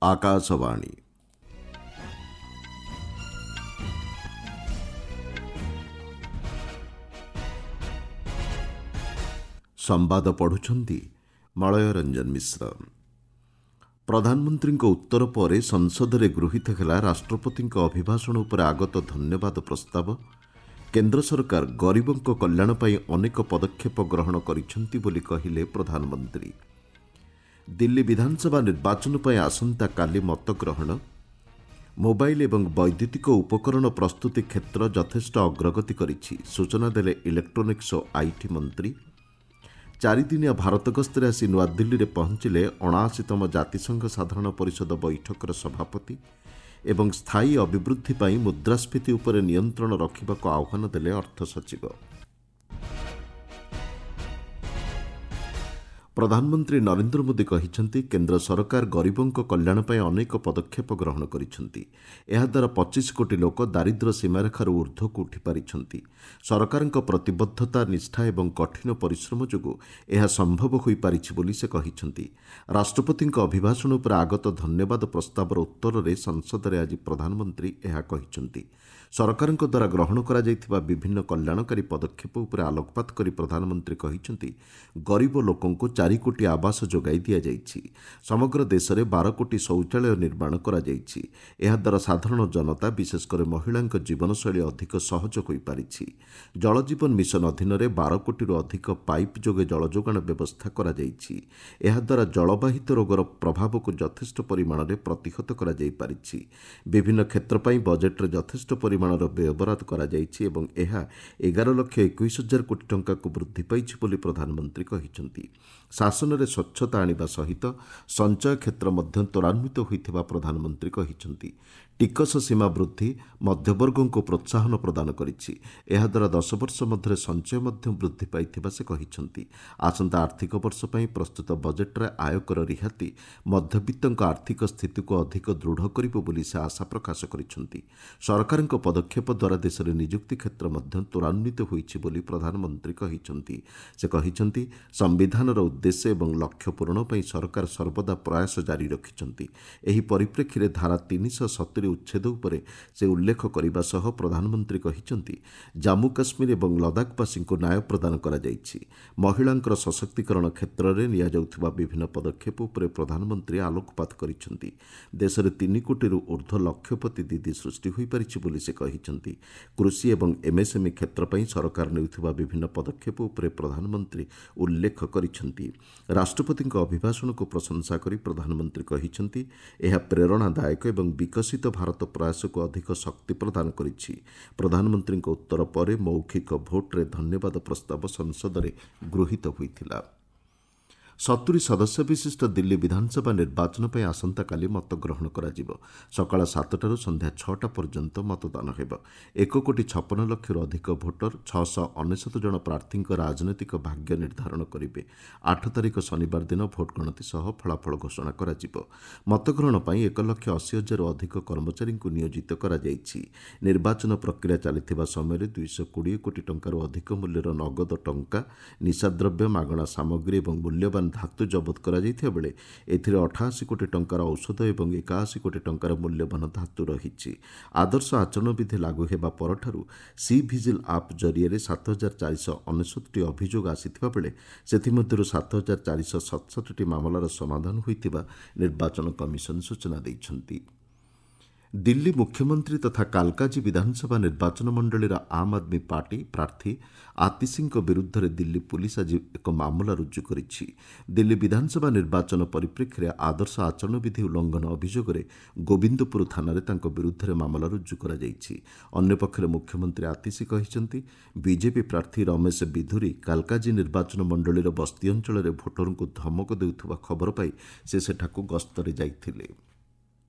ଆକାଶବାଣୀ। ସମ୍ବାଦ ପଢ଼ୁଛନ୍ତି ମଳୟ ରଞ୍ଜନ ମିଶ୍ର। ପ୍ରଧାନମନ୍ତ୍ରୀଙ୍କ ଉତ୍ତର ପରେ ସଂସଦରେ ଗୃହୀତ ହେଲା ରାଷ୍ଟ୍ରପତିଙ୍କ ଅଭିଭାଷଣ ଉପରେ ଆଗତ ଧନ୍ୟବାଦ ପ୍ରସ୍ତାବ। କେନ୍ଦ୍ର ସରକାର ଗରିବଙ୍କ କଲ୍ୟାଣ ପାଇଁ ଅନେକ ପଦକ୍ଷେପ ଗ୍ରହଣ କରିଛନ୍ତି ବୋଲି କହିଲେ ପ୍ରଧାନମନ୍ତ୍ରୀ। ଦିଲ୍ଲୀ ବିଧାନସଭା ନିର୍ବାଚନ ପାଇଁ ଆସନ୍ତାକାଲି ମତଗ୍ରହଣ। ମୋବାଇଲ ଏବଂ ବୈଦ୍ୟୁତିକ ଉପକରଣ ପ୍ରସ୍ତୁତି କ୍ଷେତ୍ର ଯଥେଷ୍ଟ ଅଗ୍ରଗତି କରିଛି, ସୂଚନା ଦେଲେ ଇଲେକ୍ଟ୍ରୋନିକ୍ସ ଓ IT ମନ୍ତ୍ରୀ। ଚାରିଦିନିଆ ଭାରତ ଗସ୍ତରେ ଆସି ନୂଆଦିଲ୍ଲୀରେ ପହଞ୍ଚିଲେ 79ତମ ଜାତିସଂଘ ସାଧାରଣ ପରିଷଦ ବୈଠକର ସଭାପତି ଏବଂ ସ୍ଥାୟୀ ଅଭିବୃଦ୍ଧି ପାଇଁ ମୁଦ୍ରାସ୍ଫୀତି ଉପରେ ନିୟନ୍ତ୍ରଣ ରଖିବାକୁ ଆହ୍ୱାନ ଦେଲେ ଅର୍ଥ ସଚିବ। ପ୍ରଧାନମନ୍ତ୍ରୀ ନରେନ୍ଦ୍ର ମୋଦି କହିଛନ୍ତି, କେନ୍ଦ୍ର ସରକାର ଗରିବଙ୍କ କଲ୍ୟାଣ ପାଇଁ ଅନେକ ପଦକ୍ଷେପ ଗ୍ରହଣ କରିଛନ୍ତି। ଏହାଦ୍ୱାରା 25 କୋଟି ଲୋକ ଦାରିଦ୍ର୍ୟ ସୀମାରେଖାରୁ ଉର୍ଦ୍ଧ୍ୱକୁ ଉଠିପାରିଛନ୍ତି। ସରକାରଙ୍କ ପ୍ରତିବଦ୍ଧତା, ନିଷ୍ଠା ଏବଂ କଠିନ ପରିଶ୍ରମ ଯୋଗୁଁ ଏହା ସମ୍ଭବ ହୋଇପାରିଛି ବୋଲି ସେ କହିଛନ୍ତି। ରାଷ୍ଟ୍ରପତିଙ୍କ ଅଭିଭାଷଣ ଉପରେ ଆଗତ ଧନ୍ୟବାଦ ପ୍ରସ୍ତାବର ଉତ୍ତରରେ ସଂସଦରେ ଆଜି ପ୍ରଧାନମନ୍ତ୍ରୀ ଏହା କହିଛନ୍ତି। ସରକାରଙ୍କ ଦ୍ୱାରା ଗ୍ରହଣ କରାଯାଇଥିବା ବିଭିନ୍ନ କଲ୍ୟାଣକାରୀ ପଦକ୍ଷେପ ଉପରେ ଆଲୋକପାତ କରି ପ୍ରଧାନମନ୍ତ୍ରୀ କହିଛନ୍ତି, ଗରିବ ଲୋକଙ୍କୁ 4 କୋଟି ଆବାସ ଯୋଗାଇ ଦିଆଯାଇଛି। ସମଗ୍ର ଦେଶରେ 12 କୋଟି ଶୌଚାଳୟ ନିର୍ମାଣ କରାଯାଇଛି। ଏହାଦ୍ୱାରା ସାଧାରଣ ଜନତା, ବିଶେଷକରି ମହିଳାଙ୍କ ଜୀବନଶୈଳୀ ଅଧିକ ସହଜ ହୋଇପାରିଛି। ଜଳଜୀବନ ମିଶନ ଅଧୀନରେ 12 କୋଟିରୁ ଅଧିକ ପାଇପ୍ ଯୋଗେ ଜଳଯୋଗାଣ ବ୍ୟବସ୍ଥା କରାଯାଇଛି। ଏହାଦ୍ୱାରା ଜଳବାହିତ ରୋଗର ପ୍ରଭାବକୁ ଯଥେଷ୍ଟ ପରିମାଣରେ ପ୍ରତିହତ କରାଯାଇପାରିଛି। ବିଭିନ୍ନ କ୍ଷେତ୍ର ପାଇଁ ବଜେଟ୍ରେ ଯଥେଷ୍ଟ ପରିମାଣର ବ୍ୟୟବରାଦ କରାଯାଇଛି ଏବଂ ଏହା 11,21,000 କୋଟି ଟଙ୍କାକୁ ବୃଦ୍ଧି ପାଇଛି ବୋଲି ପ୍ରଧାନମନ୍ତ୍ରୀ କହିଛନ୍ତି। ଶାସନରେ ସ୍ୱଚ୍ଛତା ଆଣିବା ସହିତ ସଞ୍ଚୟ କ୍ଷେତ୍ର ମଧ୍ୟ ତ୍ୱରାନ୍ୱିତ ହୋଇଥିବା ପ୍ରଧାନମନ୍ତ୍ରୀ କହିଛନ୍ତି। ଟିକସ ସୀମା ବୃଦ୍ଧି ମଧ୍ୟବର୍ଗଙ୍କୁ ପ୍ରୋତ୍ସାହନ ପ୍ରଦାନ କରିଛି। ଏହାଦ୍ୱାରା 10 ବର୍ଷ ମଧ୍ୟରେ ସଞ୍ଚୟ ମଧ୍ୟ ବୃଦ୍ଧି ପାଇଥିବା ସେ କହିଛନ୍ତି। ଆସନ୍ତା ଆର୍ଥିକ ବର୍ଷ ପାଇଁ ପ୍ରସ୍ତୁତ ବଜେଟ୍ରେ ଆୟକର ରିହାତି ମଧ୍ୟବିତ୍ତଙ୍କ ଆର୍ଥିକ ସ୍ଥିତିକୁ ଅଧିକ ଦୃଢ଼ କରିବ ବୋଲି ସେ ଆଶା ପ୍ରକାଶ କରିଛନ୍ତି। ସରକାରଙ୍କ ପଦକ୍ଷେପ ଦ୍ୱାରା ଦେଶରେ ନିଯୁକ୍ତି କ୍ଷେତ୍ର ମଧ୍ୟ ତ୍ୱରାନ୍ୱିତ ହୋଇଛି ବୋଲି ପ୍ରଧାନମନ୍ତ୍ରୀ କହିଛନ୍ତି। ସେ କହିଛନ୍ତି, ସମ୍ବିଧାନର ଉଦ୍ଦେଶ୍ୟ ଏବଂ ଲକ୍ଷ୍ୟ ପୂରଣ ପାଇଁ ସରକାର ସର୍ବଦା ପ୍ରୟାସ ଜାରି ରଖିଛନ୍ତି। ଏହି ପରିପ୍ରେକ୍ଷୀରେ ଧାରା 370 ଉଚ୍ଛେଦ ଉପରେ ସେ ଉଲ୍ଲେଖ କରିବା ସହ ପ୍ରଧାନମନ୍ତ୍ରୀ କହିଛନ୍ତି, ଜାମ୍ମୁ କାଶ୍ମୀର ଏବଂ ଲଦାଖବାସୀଙ୍କୁ ନ୍ୟାୟ ପ୍ରଦାନ କରାଯାଇଛି। ମହିଳାଙ୍କର ସଶକ୍ତିକରଣ କ୍ଷେତ୍ରରେ ନିଆଯାଉଥିବା ବିଭିନ୍ନ ପଦକ୍ଷେପ ଉପରେ ପ୍ରଧାନମନ୍ତ୍ରୀ ଆଲୋକପାତ କରିଛନ୍ତି। ଦେଶରେ 3 କୋଟିରୁ ଉର୍ଦ୍ଧ୍ୱ ଲକ୍ଷପତି ଦିଦି ସୃଷ୍ଟି ହୋଇପାରିଛି ବୋଲି ସେ କହିଛନ୍ତି। କୃଷି ଏବଂ ଏମ୍ଏସ୍ଏମ୍ଇ କ୍ଷେତ୍ର ପାଇଁ ସରକାର ନେଉଥିବା ବିଭିନ୍ନ ପଦକ୍ଷେପ ଉପରେ ପ୍ରଧାନମନ୍ତ୍ରୀ ଉଲ୍ଲେଖ କରିଛନ୍ତି। ରାଷ୍ଟ୍ରପତିଙ୍କ ଅଭିଭାଷଣକୁ ପ୍ରଶଂସା କରି ପ୍ରଧାନମନ୍ତ୍ରୀ କହିଛନ୍ତି, ଏହା ପ୍ରେରଣାଦାୟକ ଏବଂ ବିକଶିତ ଭାରତ ପ୍ରୟାସକୁ ଅଧିକ ଶକ୍ତି ପ୍ରଦାନ କରିଛି। ପ୍ରଧାନମନ୍ତ୍ରୀଙ୍କ ଉତ୍ତର ପରେ ମୌଖିକ ଭୋଟ୍ରେ ଧନ୍ୟବାଦ ପ୍ରସ୍ତାବ ସଂସଦରେ ଗୃହୀତ ହୋଇଥିଲା। 70 ସଦସ୍ୟ ବିଶିଷ୍ଟ ଦିଲ୍ଲୀ ବିଧାନସଭା ନିର୍ବାଚନ ପାଇଁ ଆସନ୍ତାକାଲି ମତଗ୍ରହଣ କରାଯିବ। ସକାଳ 7ଟାରୁ ସନ୍ଧ୍ୟା 6ଟା ପର୍ଯ୍ୟନ୍ତ ମତଦାନ ହେବ। 1 କୋଟି 56 ଲକ୍ଷରୁ ଅଧିକ ଭୋଟର 699 ଜଣ ପ୍ରାର୍ଥୀଙ୍କ ରାଜନୈତିକ ଭାଗ୍ୟ ନିର୍ଦ୍ଧାରଣ କରିବେ। 8 ତାରିଖ ଶନିବାର ଦିନ ଭୋଟ୍ ଗଣତି ସହ ଫଳାଫଳ ଘୋଷଣା କରାଯିବ। ମତଗ୍ରହଣ ପାଇଁ 1,80,000ରୁ ଅଧିକ କର୍ମଚାରୀଙ୍କୁ ନିୟୋଜିତ କରାଯାଇଛି। ନିର୍ବାଚନ ପ୍ରକ୍ରିୟା ଚାଲିଥିବା ସମୟରେ 220 କୋଟି ଟଙ୍କାରୁ ଅଧିକ ମୂଲ୍ୟର ନଗଦ ଟଙ୍କା, ନିଶାଦ୍ରବ୍ୟ, ମାଗଣା ସାମଗ୍ରୀ ଏବଂ ମୂଲ୍ୟବାନ ଧାତୁ ଜବତ କରାଯାଇଥିବା ବେଳେ ଏଥିରେ 88 କୋଟି ଟଙ୍କାର ଔଷଧ ଏବଂ 81 କୋଟି ଟଙ୍କାର ମୂଲ୍ୟବାନ ଧାତୁ ରହିଛି। ଆଦର୍ଶ ଆଚରଣ ବିଧି ଲାଗୁ ହେବା ପରଠାରୁ ସି ଭିଜିଲ୍ ଆପ୍ ଜରିଆରେ 7499ଟି ଅଭିଯୋଗ ଆସିଥିବା ବେଳେ ସେଥିମଧ୍ୟରୁ 7467ଟି ମାମଲାର ସମାଧାନ ହୋଇଥିବା ନିର୍ବାଚନ କମିଶନ ସୂଚନା ଦେଇଛନ୍ତି। ଦିଲ୍ଲୀ ମୁଖ୍ୟମନ୍ତ୍ରୀ ତଥା କାଲକାଜୀ ବିଧାନସଭା ନିର୍ବାଚନ ମଣ୍ଡଳୀର ଆମ୍ ଆଦମୀ ପାର୍ଟି ପ୍ରାର୍ଥୀ ଆତିଶୀଙ୍କ ବିରୁଦ୍ଧରେ ଦିଲ୍ଲୀ ପୁଲିସ୍ ଆଜି ଏକ ମାମଲା ରୁଜୁ କରିଛି। ଦିଲ୍ଲୀ ବିଧାନସଭା ନିର୍ବାଚନ ପରିପ୍ରେକ୍ଷୀରେ ଆଦର୍ଶ ଆଚରଣ ବିଧି ଉଲ୍ଲଂଘନ ଅଭିଯୋଗରେ ଗୋବିନ୍ଦପୁର ଥାନାରେ ତାଙ୍କ ବିରୁଦ୍ଧରେ ମାମଲା ରୁଜୁ କରାଯାଇଛି। ଅନ୍ୟପକ୍ଷରେ ମୁଖ୍ୟମନ୍ତ୍ରୀ ଆତିଶୀ କହିଛନ୍ତି, ବିଜେପି ପ୍ରାର୍ଥୀ ରମେଶ ବିଧୁରୀ କାଲକାଜୀ ନିର୍ବାଚନ ମଣ୍ଡଳୀର ବସ୍ତି ଅଞ୍ଚଳରେ ଭୋଟରଙ୍କୁ ଧମକ ଦେଉଥିବା ଖବର ପାଇ ସେ ସେଠାକୁ ଗସ୍ତରେ ଯାଇଥିଲେ।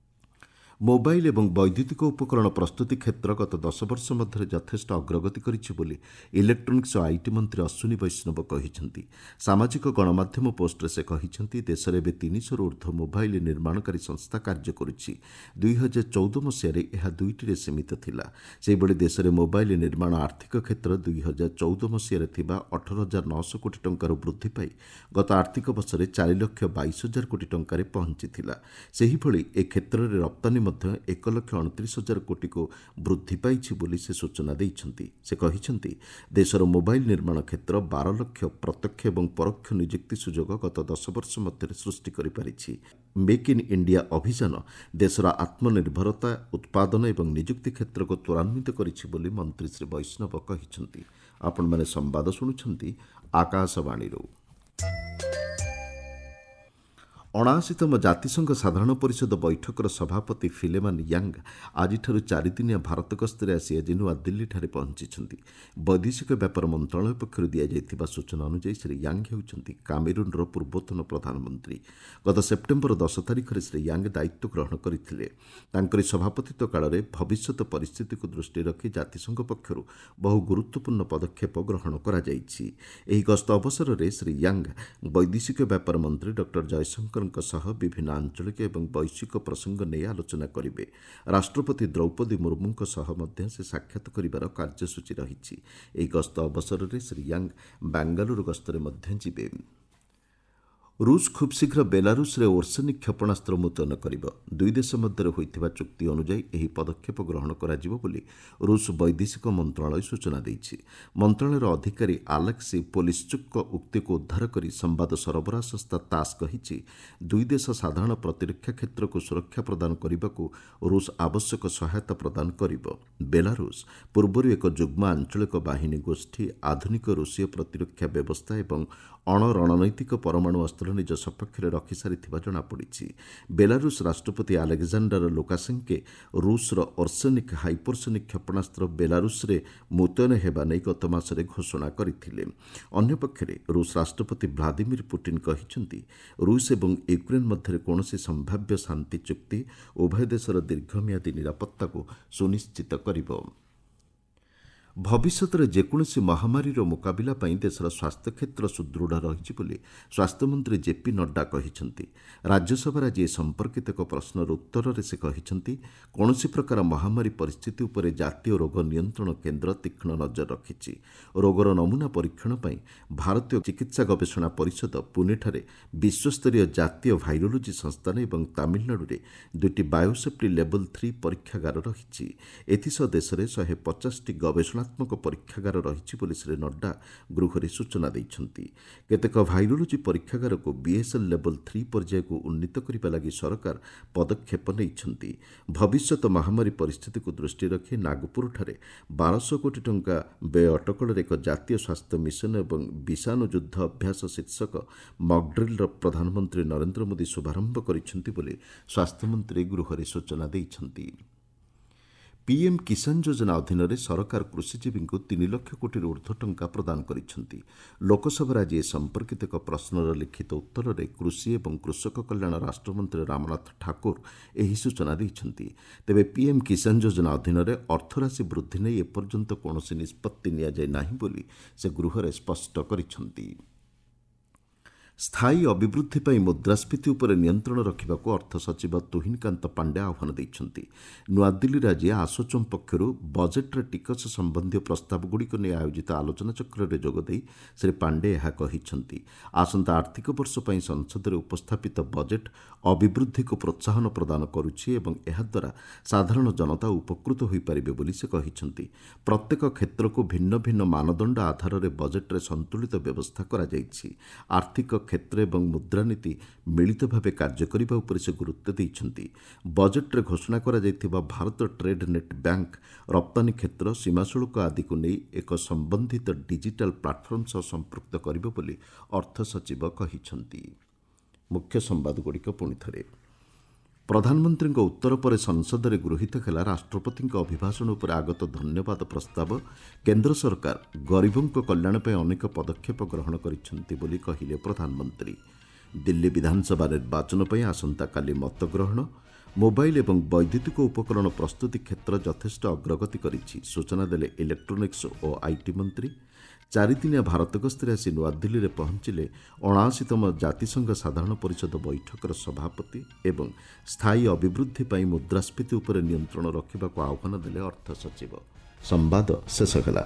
ମୋବାଇଲ୍ ଏବଂ ବୈଦ୍ୟୁତିକ ଉପକରଣ ପ୍ରସ୍ତୁତି କ୍ଷେତ୍ର ଗତ 10 ବର୍ଷ ମଧ୍ୟରେ ଯଥେଷ୍ଟ ଅଗ୍ରଗତି କରିଛି ବୋଲି ଇଲେକ୍ଟ୍ରୋନିକ୍ସ ଓ IT ମନ୍ତ୍ରୀ ଅଶ୍ୱିନୀ ବୈଷ୍ଣବ କହିଛନ୍ତି। ସାମାଜିକ ଗଣମାଧ୍ୟମ ପୋଷ୍ଟରେ ସେ କହିଛନ୍ତି, ଦେଶରେ ଏବେ 300ରୁ ଉର୍ଦ୍ଧ୍ୱ ମୋବାଇଲ୍ ନିର୍ମାଣକାରୀ ସଂସ୍ଥା କାର୍ଯ୍ୟ କରୁଛି। 2014 ମସିହାରେ ଏହା 2ଟିରେ ସୀମିତ ଥିଲା। ସେହିଭଳି ଦେଶରେ ମୋବାଇଲ୍ ନିର୍ମାଣ ଆର୍ଥିକ କ୍ଷେତ୍ର 2014 ମସିହାରେ ଥିବା 18,900 କୋଟି ଟଙ୍କାରୁ ବୃଦ୍ଧି ପାଇ ଗତ ଆର୍ଥିକ ବର୍ଷରେ 4,22,000 କୋଟି ଟଙ୍କାରେ ପହଞ୍ଚିଥିଲା। ସେହିଭଳି ଏ କ୍ଷେତ୍ରରେ ରପ୍ତାନୀ ମଧ୍ୟ 1,29,000 କୋଟିକୁ ବୃଦ୍ଧି ପାଇଛି ବୋଲି ସେ ସୂଚନା ଦେଇଛନ୍ତି। ସେ କହିଛନ୍ତି, ଦେଶର ମୋବାଇଲ୍ ନିର୍ମାଣ କ୍ଷେତ୍ର 12 ଲକ୍ଷ ପ୍ରତ୍ୟକ୍ଷ ଏବଂ ପରୋକ୍ଷ ନିଯୁକ୍ତି ସୁଯୋଗ ଗତ 10 ବର୍ଷ ମଧ୍ୟରେ ସୃଷ୍ଟି କରିପାରିଛି। ମେକ୍ ଇନ୍ ଇଣ୍ଡିଆ ଅଭିଯାନ ଦେଶର ଆତ୍ମନିର୍ଭରତା, ଉତ୍ପାଦନ ଏବଂ ନିଯୁକ୍ତି କ୍ଷେତ୍ରକୁ ତ୍ୱରାନ୍ୱିତ କରିଛି ବୋଲି ମନ୍ତ୍ରୀ ଶ୍ରୀ ବୈଷ୍ଣବ କହିଛନ୍ତି। ଆପଣମାନେ ସମ୍ବାଦ ଶୁଣୁଛନ୍ତି ଆକାଶବାଣୀରୁ। 79ତମ ଜାତିସଂଘ ସାଧାରଣ ପରିଷଦ ବୈଠକର ସଭାପତି ଫିଲେମାନ ୟାଙ୍ଗ ଆଜିଠାରୁ 4 ଦିନିଆ ଭାରତ ଗସ୍ତରେ ଆସି ଆଜି ନୂଆଦିଲ୍ଲୀଠାରେ ପହଞ୍ଚିଛନ୍ତି। ବୈଦେଶିକ ବ୍ୟାପାର ମନ୍ତ୍ରଣାଳୟ ପକ୍ଷରୁ ଦିଆଯାଇଥିବା ସୂଚନା ଅନୁଯାୟୀ ଶ୍ରୀ ୟାଙ୍ଗ ହେଉଛନ୍ତି କାମେରୁନ୍ର ପୂର୍ବତନ ପ୍ରଧାନମନ୍ତ୍ରୀ। ଗତ ସେପ୍ଟେମ୍ବର 10 ତାରିଖରେ ଶ୍ରୀ ୟାଙ୍ଗ ଦାୟିତ୍ୱ ଗ୍ରହଣ କରିଥିଲେ। ତାଙ୍କରି ସଭାପତିତ୍ୱ କାଳରେ ଭବିଷ୍ୟତ ପରିସ୍ଥିତିକୁ ଦୃଷ୍ଟିରେ ରଖି ଜାତିସଂଘ ପକ୍ଷରୁ ବହୁ ଗୁରୁତ୍ୱପୂର୍ଣ୍ଣ ପଦକ୍ଷେପ ଗ୍ରହଣ କରାଯାଇଛି। ଏହି ଗସ୍ତ ଅବସରରେ ଶ୍ରୀ ୟାଙ୍ଗ ବୈଦେଶିକ ବ୍ୟାପାର ମନ୍ତ୍ରୀ ଡକ୍ଟର ଜୟଶଙ୍କର ସହ ବିଭିନ୍ନ ଆଞ୍ଚଳିକ ଏବଂ ବୈଶ୍ୱିକ ପ୍ରସଙ୍ଗ ନେଇ ଆଲୋଚନା କରିବେ। ରାଷ୍ଟ୍ରପତି ଦ୍ରୌପଦୀ ମୁର୍ମୁଙ୍କ ସହ ମଧ୍ୟ ସେ ସାକ୍ଷାତ କରିବାର କାର୍ଯ୍ୟସୂଚୀ ରହିଛି। ଏହି ଗସ୍ତ ଅବସରରେ ଶ୍ରୀ ୟାଙ୍ଗ ବାଙ୍ଗାଲୁରୁ ଗସ୍ତରେ ମଧ୍ୟ ଯିବେ। ରୁଷ ଖୁବ୍ ଶୀଘ୍ର ବେଲାରୁଷରେ ଓର୍ସେନିକ୍ କ୍ଷେପଣାସ୍ତ୍ର ମୁତୟନ କରିବ। ଦୁଇ ଦେଶ ମଧ୍ୟରେ ହୋଇଥିବା ଚୁକ୍ତି ଅନୁଯାୟୀ ଏହି ପଦକ୍ଷେପ ଗ୍ରହଣ କରାଯିବ ବୋଲି ରୁଷ ବୈଦେଶିକ ମନ୍ତ୍ରଣାଳୟ ସୂଚନା ଦେଇଛି। ମନ୍ତ୍ରଣାଳୟର ଅଧିକାରୀ ଆଲେକ୍ସି ପୋଲିଶ୍ଚୁକ୍ଙ୍କ ଉକ୍ତିକୁ ଉଦ୍ଧାର କରି ସମ୍ବାଦ ସରବରାହ ସଂସ୍ଥା ତାସ୍ କହିଛି, ଦୁଇ ଦେଶ ସାଧାରଣ ପ୍ରତିରକ୍ଷା କ୍ଷେତ୍ରକୁ ସୁରକ୍ଷା ପ୍ରଦାନ କରିବାକୁ ରୁଷ ଆବଶ୍ୟକ ସହାୟତା ପ୍ରଦାନ କରିବ। ବେଲାରୁଷ ପୂର୍ବରୁ ଏକ ଯୁଗ୍ମ ଆଞ୍ଚଳିକ ବାହିନୀ ଗୋଷ୍ଠୀ, ଆଧୁନିକ ରୁଷୀୟ ପ୍ରତିରକ୍ଷା ବ୍ୟବସ୍ଥା ଏବଂ ଅଣରଣନୈତିକ ପରମାଣୁ ଅସ୍ତ୍ର ନିଜ ସପକ୍ଷରେ ରଖିସାରିଥିବା ଜଣାପଡ଼ିଛି। ବେଲାରୁଷ ରାଷ୍ଟ୍ରପତି ଆଲେକ୍ଜାଣ୍ଡାର ଲୁକାସେଙ୍କେ ରୁଷର ଅର୍ସେନିକ୍ ହାଇପରସୋନିକ୍ କ୍ଷେପଣାସ୍ତ୍ର ବେଲାରୁଷରେ ମୁତୟନ ହେବା ନେଇ ଗତ ମାସରେ ଘୋଷଣା କରିଥିଲେ। ଅନ୍ୟପକ୍ଷରେ ରୁଷ ରାଷ୍ଟ୍ରପତି ଭ୍ଲାଦିମିର ପୁଟିନ୍ କହିଛନ୍ତି, ରୁଷ ଏବଂ ୟୁକ୍ରେନ୍ ମଧ୍ୟରେ କୌଣସି ସମ୍ଭାବ୍ୟ ଶାନ୍ତି ଚୁକ୍ତି ଉଭୟ ଦେଶର ଦୀର୍ଘମିଆଦୀ ନିରାପତ୍ତାକୁ ସୁନିଶ୍ଚିତ କରିବ। ଭବିଷ୍ୟତରେ ଯେକୌଣସି ମହାମାରୀର ମୁକାବିଲା ପାଇଁ ଦେଶର ସ୍ୱାସ୍ଥ୍ୟକ୍ଷେତ୍ର ସୁଦୃଢ଼ ରହିଛି ବୋଲି ସ୍ୱାସ୍ଥ୍ୟମନ୍ତ୍ରୀ ଜେପି ନଡ୍ଡା କହିଛନ୍ତି। ରାଜ୍ୟସଭାରେ ଆଜି ଏ ସମ୍ପର୍କିତ ଏକ ପ୍ରଶ୍ନର ଉତ୍ତରରେ ସେ କହିଛନ୍ତି, କୌଣସି ପ୍ରକାର ମହାମାରୀ ପରିସ୍ଥିତି ଉପରେ ଜାତୀୟ ରୋଗ ନିୟନ୍ତ୍ରଣ କେନ୍ଦ୍ର ତୀକ୍ଷ୍ଣ ନଜର ରଖିଛି। ରୋଗର ନମୁନା ପରୀକ୍ଷଣ ପାଇଁ ଭାରତୀୟ ଚିକିତ୍ସା ଗବେଷଣା ପରିଷଦ ପୁନେଠାରେ ବିଶ୍ୱସ୍ତରୀୟ ଜାତୀୟ ଭାଇରୋଲୋଜି ସଂସ୍ଥାନ ଏବଂ ତାମିଲନାଡୁରେ 2ଟି ବାୟୋସେଫ୍ଟି ଲେବଲ୍ 3 ପରୀକ୍ଷାଗାର ରହିଛି। ଏଥିସହ ଦେଶରେ 150ଟି ଗବେଷଣା ପରୀକ୍ଷାଗାର ରହିଛି ବୋଲି ଶ୍ରୀ ନଡ୍ଡା ଗୃହରେ ସୂଚନା ଦେଇଛନ୍ତି। କେତେକ ଭାଇରୋଲୋଜି ପରୀକ୍ଷାଗାରକୁ ବିଏସ୍ଏଲ୍ ଲେବଲ୍ 3 ପର୍ଯ୍ୟାୟକୁ ଉନ୍ନୀତ କରିବା ଲାଗି ସରକାର ପଦକ୍ଷେପ ନେଇଛନ୍ତି। ଭବିଷ୍ୟତ ମହାମାରୀ ପରିସ୍ଥିତିକୁ ଦୃଷ୍ଟିରେ ରଖି ନାଗପୁରଠାରେ 1200 କୋଟି ଟଙ୍କା ବ୍ୟୟ ଅଟକଳରେ ଏକ ଜାତୀୟ ସ୍ୱାସ୍ଥ୍ୟ ମିଶନ ଏବଂ ବିଷାଣୁ ଯୁଦ୍ଧ ଅଭ୍ୟାସ ଶୀର୍ଷକ ମକ୍ଡ୍ରିଲ୍ର ପ୍ରଧାନମନ୍ତ୍ରୀ ନରେନ୍ଦ୍ର ମୋଦି ଶୁଭାରମ୍ଭ କରିଛନ୍ତି ବୋଲି ସ୍ୱାସ୍ଥ୍ୟମନ୍ତ୍ରୀ ଗୃହରେ ସୂଚନା ଦେଇଛନ୍ତି। ପିଏମ୍ କିଷାନ ଯୋଜନା ଅଧୀନରେ ସରକାର କୃଷିଜୀବୀଙ୍କୁ 3 ଲକ୍ଷ କୋଟିରୁ ଉର୍ଦ୍ଧ୍ୱ ଟଙ୍କା ପ୍ରଦାନ କରିଛନ୍ତି। ଲୋକସଭାରେ ଆଜି ଏ ସମ୍ପର୍କିତ ଏକ ପ୍ରଶ୍ନର ଲିଖିତ ଉତ୍ତରରେ କୃଷି ଏବଂ କୃଷକ କଲ୍ୟାଣ ରାଷ୍ଟ୍ରମନ୍ତ୍ରୀ ରାମନାଥ ଠାକୁର ଏହି ସୂଚନା ଦେଇଛନ୍ତି। ତେବେ ପିଏମ୍ କିଷାନ ଯୋଜନା ଅଧୀନରେ ଅର୍ଥରାଶି ବୃଦ୍ଧି ନେଇ ଏପର୍ଯ୍ୟନ୍ତ କୌଣସି ନିଷ୍ପତ୍ତି ନିଆଯାଇ ନାହିଁ ବୋଲି ସେ ଗୃହରେ ସ୍ପଷ୍ଟ କରିଛନ୍ତି। ସ୍ଥାୟୀ ଅଭିବୃଦ୍ଧି ପାଇଁ ମୁଦ୍ରାସ୍ଫୀତି ଉପରେ ନିୟନ୍ତ୍ରଣ ରଖିବାକୁ ଅର୍ଥ ସଚିବ ତୁହିନକାନ୍ତ ପାଣ୍ଡେ ଆହ୍ୱାନ ଦେଇଛନ୍ତି। ନୂଆଦିଲ୍ଲୀରେ ଆଜି ଆସୋଚମ୍ ପକ୍ଷରୁ ବଜେଟ୍ରେ ଟିକସ ସମ୍ବନ୍ଧୀୟ ପ୍ରସ୍ତାବଗୁଡ଼ିକୁ ନେଇ ଆୟୋଜିତ ଆଲୋଚନାଚକ୍ରରେ ଯୋଗଦେଇ ଶ୍ରୀ ପାଣ୍ଡେ ଏହା କହିଛନ୍ତି। ଆସନ୍ତା ଆର୍ଥିକ ବର୍ଷ ପାଇଁ ସଂସଦରେ ଉପସ୍ଥାପିତ ବଜେଟ୍ ଅଭିବୃଦ୍ଧିକୁ ପ୍ରୋତ୍ସାହନ ପ୍ରଦାନ କରୁଛି ଏବଂ ଏହାଦ୍ୱାରା ସାଧାରଣ ଜନତା ଉପକୃତ ହୋଇପାରିବେ ବୋଲି ସେ କହିଛନ୍ତି। ପ୍ରତ୍ୟେକ କ୍ଷେତ୍ରକୁ ଭିନ୍ନ ଭିନ୍ନ ମାନଦଣ୍ଡ ଆଧାରରେ ବଜେଟ୍ରେ ସନ୍ତୁଳିତ ବ୍ୟବସ୍ଥା କରାଯାଇଛି। ଆର୍ଥିକ କ୍ଷେତ୍ର ଏବଂ ମୁଦ୍ରାନୀତି ମିଳିତ ଭାବେ କାର୍ଯ୍ୟ କରିବା ଉପରେ ସେ ଗୁରୁତ୍ୱ ଦେଇଛନ୍ତି। ବଜେଟ୍ରେ ଘୋଷଣା କରାଯାଇଥିବା ଭାରତ ଟ୍ରେଡ୍ ନେଟ୍ ବ୍ୟାଙ୍କ, ରପ୍ତାନୀ କ୍ଷେତ୍ର, ସୀମାଶୁଳ୍କ ଆଦିକୁ ନେଇ ଏକ ସମ୍ବନ୍ଧିତ ଡିଜିଟାଲ୍ ପ୍ଲାଟଫର୍ମ ସହ ସମ୍ପୃକ୍ତ କରିବ ବୋଲି ଅର୍ଥ ସଚିବ କହିଛନ୍ତି। ମୁଖ୍ୟ ସମ୍ବାଦଗୁଡ଼ିକ ପୁଣି ଥରେ। ପ୍ରଧାନମନ୍ତ୍ରୀଙ୍କ ଉତ୍ତର ପରେ ସଂସଦରେ ଗୃହୀତ ହେଲା ରାଷ୍ଟ୍ରପତିଙ୍କ ଅଭିଭାଷଣ ଉପରେ ଆଗତ ଧନ୍ୟବାଦ ପ୍ରସ୍ତାବ। କେନ୍ଦ୍ର ସରକାର ଗରିବଙ୍କ କଲ୍ୟାଣ ପାଇଁ ଅନେକ ପଦକ୍ଷେପ ଗ୍ରହଣ କରିଛନ୍ତି ବୋଲି କହିଲେ ପ୍ରଧାନମନ୍ତ୍ରୀ। ଦିଲ୍ଲୀ ବିଧାନସଭା ନିର୍ବାଚନ ପାଇଁ ଆସନ୍ତାକାଲି ମତଗ୍ରହଣ। ମୋବାଇଲ୍ ଏବଂ ବୈଦ୍ୟୁତିକ ଉପକରଣ ପ୍ରସ୍ତୁତି କ୍ଷେତ୍ର ଯଥେଷ୍ଟ ଅଗ୍ରଗତି କରିଛି, ସୂଚନା ଦେଲେ ଇଲେକ୍ଟ୍ରୋନିକ୍ସ ଓ IT ମନ୍ତ୍ରୀ। ଚାରିଦିନିଆ ଭାରତ ଗସ୍ତରେ ଆସି ନୂଆଦିଲ୍ଲୀରେ ପହଞ୍ଚିଲେ 79ତମ ଜାତିସଂଘ ସାଧାରଣ ପରିଷଦ ବୈଠକର ସଭାପତି ଏବଂ ସ୍ଥାୟୀ ଅଭିବୃଦ୍ଧି ପାଇଁ ମୁଦ୍ରାସ୍ଫୀତି ଉପରେ ନିୟନ୍ତ୍ରଣ ରଖିବାକୁ ଆହ୍ୱାନ ଦେଲେ ଅର୍ଥ ସଚିବ। ସମ୍ବାଦ ଶେଷ ହେଲା।